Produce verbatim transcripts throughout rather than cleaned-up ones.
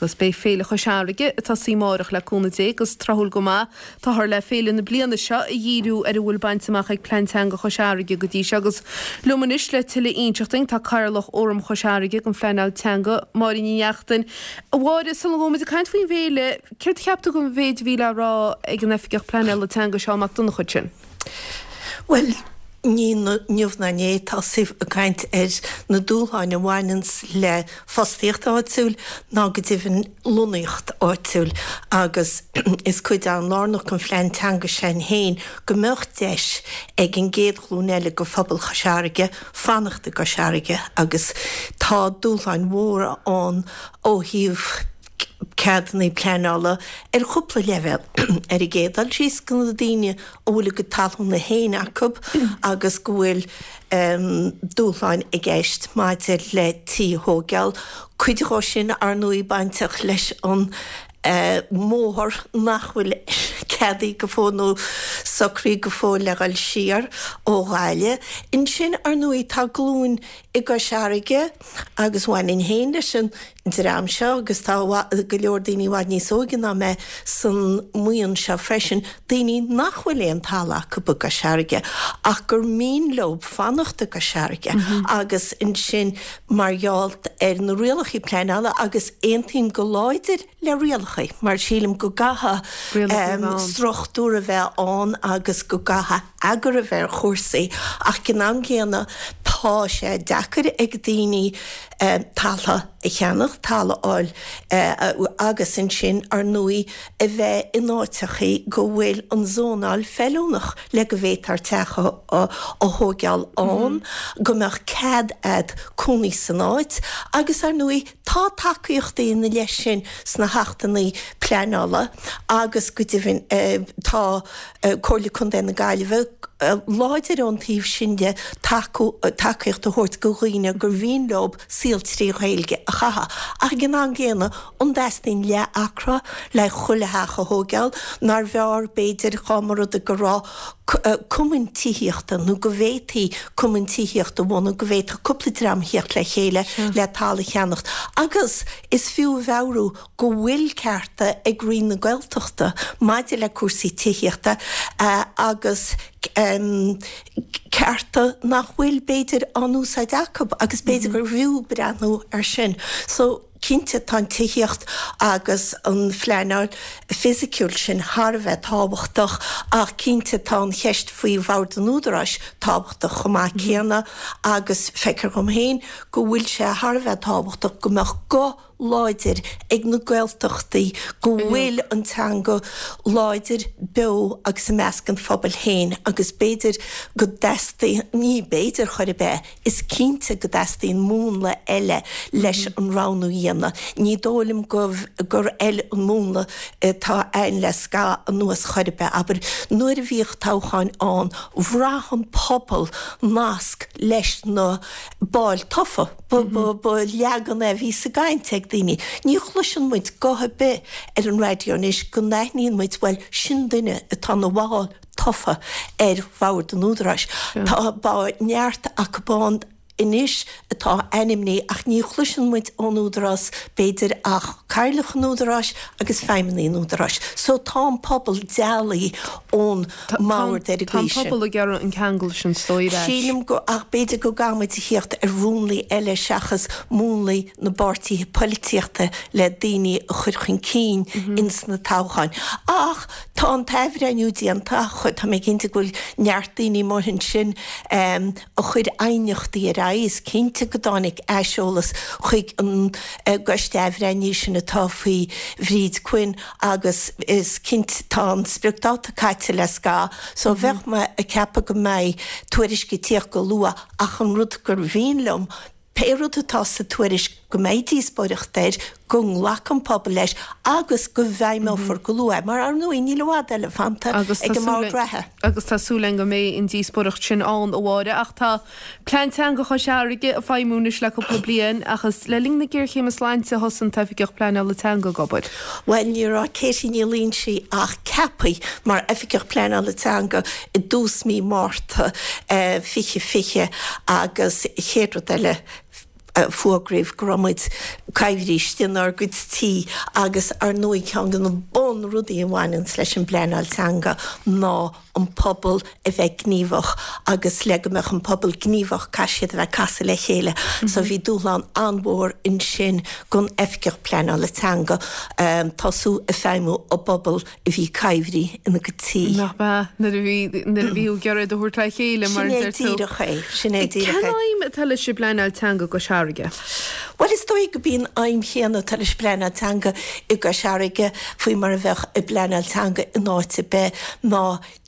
Agus beidh Féile Chois Fharraige ag tosaí amárach le cúnamh Dé agus tráthúil go maith táthar le féile na bliana seo a dhíriú ar a bhfuil bainte amach ag Plean Teanga Chois Fharraige go dtí seo agus liom anois le tuilleadh a inseacht dúinn tá Cathaoirleach Fhóram Chois Fharraige don Phleanáil Teanga, Máire Ní Neachtain. A Mháire, sula ngabhaimid ag caint faoin bhféile, céard a cheap tú den mhéid a bhí le rá ag an Oifigeach Pleanála Teanga Seán Mac Donncha ansin? Bhuel, ní inniu ná inné atá sibh ag caint ar na dúshláin a bhaineanns le fostaíocht áitiúil ná go deimhin lonnaíocht áitiúil agus is cuid an-lárnach den phlean teanga sin féin go mbeadh deis ag an gcéad ghlúin eile de phobal Chois Fharraige fanacht i gCois Fharraige agus tá dúshláin mhóra ann ó thaobh ceadanna pleanála ar chúpla leibhéal. Ar an gcéad dul síos go na daoine a bhfuil a gcuid talúna féin acu agus go bhfuil dúshláin i gceist maidir le tí a thógáil, cuid dhó sin ar ndóigh bainteach leis an mbóthar nach bhfuil ceadaithe go fóill nó socraithe go fóill le dhul siar ó Ghaillimh. Ansin ar ndóigh tá glúin i gCois Fharraige agus bhainfinn féin leis an dream seo agus tá go leor daoine i bhfad níos óige ná mé san mbuíon seo freisin, daoine nach bhfuil aon talamh acu i gCois Fharraige ach gur mian leo fanacht i gCois Fharraige agus ansin mar gheall ar na rialacha pleanála agus aontaím go láidir le rialacha mar sílim go gcaithfidh struchtúr a bheith ann agus go gcaithfidh eagar a bheith ar chúrsaí ach ag an am gcéanna tá sé deacair ag daoine talamh a cheannach, talamh a fháil agus ansin ar ndóigh a bheith in áiteachaí go bhfuil an zónáil feiliúnach le go bhféadfar teach a thóigeáil ann, go mbeadh cead a'd cónaí san áit agus ar ndóigh tá tacaíochtaí ina leith sin sna hachtanna pleanála agus go deimhin tá Comhairle Contae na Gaillimhe láidir ón taobh sin de tacú tacaíocht a thabhairt go dhaoine gur mhian leo saol trí Ghaeilge a chaitheamh. Ach ag an am gcéanna, an dteastaíonn leath acra le chuile theach a thóigeáil, nár bhfearr b'fhéidir dhá mba rud é go raibh cumann tithíochta nó go bhféadfaí cumann tithíochta a bhunú, go bhféadfadh cúpla dream a theacht le chéile le talamh a cheannacht. Agus is fiú a mheabhrú go bhfuil cearta ag Roinn na Gaeltachta maidir le cúrsaí tithíochta agus cearta nach bhfuil b'fhéidir á n-úsáid acu agus b'fhéidir gur bhfiú breathnú ar sin. So cinnte tá an tithíocht agus an phleanáil fisiciúil sin thar a bheith tábhachtach ach cinnte tá an cheist faoi Bhord an Údaráis tábhachtach chomh maith céanna agus feictear dhom féin go bhfuil sé thar a bheith tábhachtach go mbeadh guth láidir ag na Gaeltachtaí, go bhfuil an teanga láidir, beo agus i measc an phobail féin agus b'fhéidir go dteastaíonn, ní b'fhéidir chor ar bith, is cinnte go dteastaíonn múnla eile leis an roghnú a dhéanamh. Ní dóigh liom gur fheil an múnla atá ann le scaitheamh anuas chor ar bith. Abair, nuair a bhíodh toghcháin ann, bhraith an pobal nasc leis na baill tofa. Ba leagan é a bhí sa gcaint ag daoine. Ní chloiseann muid guth ar bith ar an raidió anois go n-aithníonn muid, bhuel, sin duine atá ina bhall tofa ar Bhord an Údaráis. Tá neart acu ann anois atá ainmnithe ach ní chloiseann muid ón Údarás b'fhéidir ach Cathaoirleach an Údaráis agus feidhmeannaigh an Údaráis. So tá an pobal dealaithe ón mbord ar an gcaoi sin. Tá an pobal ag iarraidh an ceangal sin is dóigh ar ais. Sílim go, ach b'fhéidir go gcaithfidh muid a thíocht ar mhúnlaí eile seachas múnlaí na bpáirtithe poilitíochta le daoine a chur chun cinn ins na toghcháin. Ach tá an t-athbhreithniú déanta, tá mé cinnte go bhfuil neart daoine amuigh ansin a chuir aighneachtaí ar aghaidh. Is cinnte go dtáinig aiseolas chuig an gcoiste athbhreithnithe sin atá faoi Bhríd Quinn agus is cinnte tá an spriocdháta caite le scaitheamh so bheadh mé ag ceapadh go mbeidh tuairisc ag tíocht go luath ach an rud gur mhian liom pé rud atá sa tuairisc go mbeidh díospóireacht air, go nglacfaidh an pobal leis agus go bhfeidhmeofar go luath é, mar ar ndóigh níl i bhfad eile fanta ag an mbord reatha. Agus tá súil againn go mbeidh an díospóireacht sin ann, a Mháire. Ach tá Plean Teanga Chois Fharraige ag feidhmiú anois le cúpla bliain ach is le linn na géarchéime sláinte a thosaigh an tOifigeach Pleanála Teanga ag obair. Bhuel, ní raibh Katie Ní Loingsigh ach ceaptha mar Oifigeach Pleanála Teanga i dtús mí Márta fiche fiche agus chéad rud eile, Fógraíodh go raibh muid coimhthíos inár gcuid tí agus ar ndóigh ceann de na bunrudaí a bhaineanns leis an bpleanáil teanga ná an pobal a bheith gníomhach agus le go mbeadh an pobal gníomhach caithfidh siad a bheith ag casadh le chéile. So bhí dúshlán an-mhór ansin don Oifigeach Pleanála Teanga tosú ag feidhmiú i bpobal a bhí coimhthí ina gcuid tí. Nach bea nuair a bhí nuair a bhí tú ag iarraidh iad a thabhairt le chéile mar a Sin é deir tú. díreach é, sin é díreach Cén é. aidhm atá leis an bpleanáil teanga i gCois Fharraige? Bhuel is dóigh go b'í an aidhm chéanna atá leis an bpleanáil teanga i gCois Fharraige faoi mar a bheadh i bpleanáil teanga in áit ar bith ná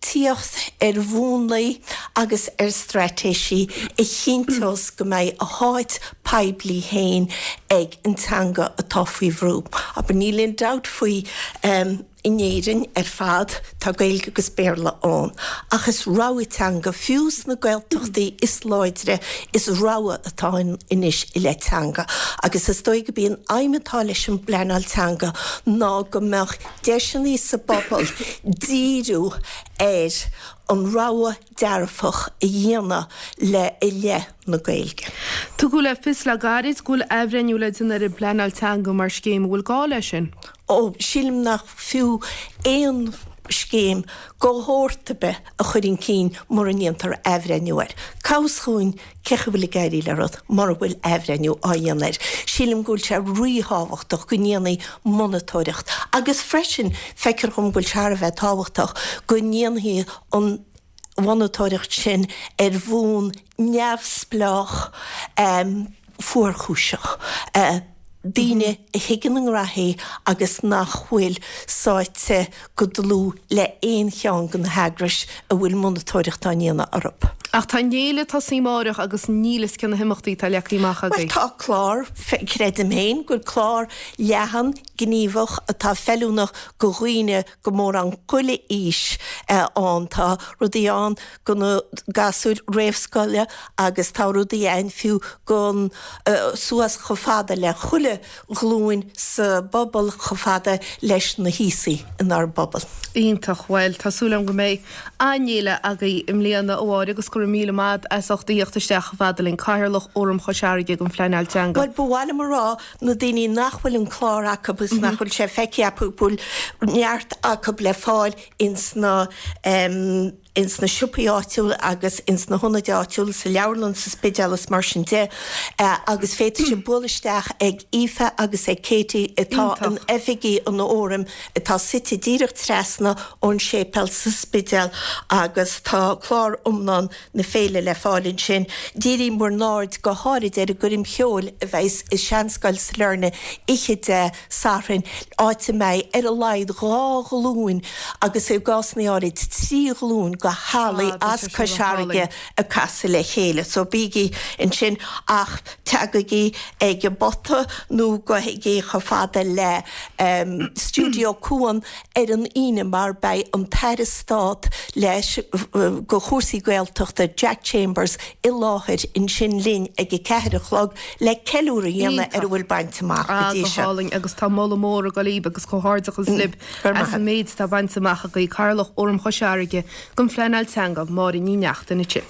tíocht ar mhúnlaí agus ar straitéisí a chinnteos go mbeidh a háit poiblí féin ag an teanga atá faoi bhrú. Abair níl aon dabht faoi in Éirinn ar fad tá Gaeilge agus Béarla ann, ach is rogha teanga, fiú sna Gaeltachtaí is láidre, is rogha atá ann anois i leith teanga. Agus is dóigh go b'í an aidhm atá leis an bpleanáil teanga ná go mbeadh deiseanna sa bpobal díriú ar an rogha dearfach a dhéanamh le i leith na Gaeilge. Tugadh le fios le gairid go bhfuil athbhreithniú le déanamh ar an bpleanáil teanga mar scéim. An bhfuil gá leis sin? Ó, sílim nach fiú aon scéim de shórt ar bith a chur chun cinn mura ndéantar athbhreithniú air. Cá bhfios dhúinn cé chaoi a bhfuil ag éirí le rud mura bhfuil athbhreithniú á dhéanamh air. Sílim go bhfuil sé ríthábhachtach go ndéanfaí monatóireacht agus freisin feictear dhom go bhfuil sé thar a bheith tábhachtach go ndéanfaí an mhonatóireacht sin ar bhonn neamhspleách fuarchúiseach. Daoine a thuigeann a ngraithí agus nach bhfuil sáite go dlúth le aon cheann de na heagrais a bhfuil monatóireacht á ndéanamh orthu. Ach tá an fhéile ag tosaí amáireach agus níl fhios cé na himeachtaí atá leagtha amach Bhuel, agaibh. tá clár, creidim féin gur clár leathan, gníomhach atá feiliúnach go dhaoine go mórán chuile aois ann. Tá rudaí ann go na gasúir réamhscoile agus tá rudaí ann fiú gon suas chomh fada le chuile ghlúin sa bpobal chomh fada leis na haosaigh inár bpobal. Iontach, bhuel tá súil agam go mbeidh an-fhéile agaibh i mbliana a Mháire agus go raibh míle maith as ucht a thíocht isteach chomh fada linn, Cathaoirleach Fhóram Chois Fharraige don Phleanáil Teanga. Bhuel, ba mhaith liom a rá na daoine nach bhfuil an clár acu is nach bhfuil sé feicthe acu go bhfuil neart acu le fáil ins na ins na siopaí áitiúla agus ins na hionaid áitiúla, sa leabharlann, sa Spidéal is mar sin de agus féadfaidh sibh bualadh isteach ag Aoife agus ag Katie atá in oifigí an Fhóraim atá suite díreach trasna ón séipéal sa Spidéal agus tá clár iomlán na féile le fáil ansin. Dírím bhur n-aird go háirid ar an gcoirm cheoil a bheidh i Seanscoil Sailearna oíche Dé Sathairn, áit a mbeidh ar a laghad dhá ghlúin agus i gcásanna áirid trí ghlúin de theaghlaigh as Cois Fharraige ag casadh le chéile. So bígí ansin ach teagaigí ag an bpota nó gabhaigí chomh fada le Stiúideo Cuan ar an Aoine mar beidh an tAire Stát leis go chúrsaí Gaeltachta Jack Chambers i láthair ansin linn ag a ceathair a chlog le ceiliúradh a dhéanamh ar a bhfuil bainte amach go dtí seo. Ah, go hálainn agus tá moladh mór ag dul daoibh agus comhghairdeachas libh as an méid atá bainte amach agaibh. Cathaoirleach Fhóram Chois Fharraige don Phleanáil Teanga, Máire Ní Neachtain ansin.